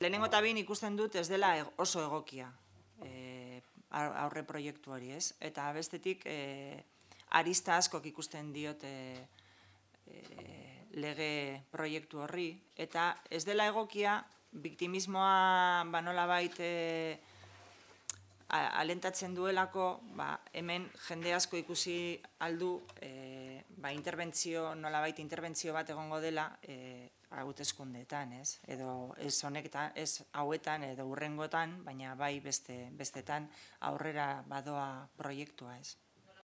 Lehenengo eta behin ikusten dut ez dela oso egokia aurre proiektu hori, ez? Eta bestetik arista askok ikusten diot lege proiektu horri, eta ez dela egokia biktimismoa nolabait alentatzen duelako, hemen jende asko ikusi aldu nolabait interbentzio bat egongo dela hauteskundeetan, ez? Edo ez honetan, ez hauetan edo hurrengotan, baina bai bestetan aurrera badoa proiektua, ez?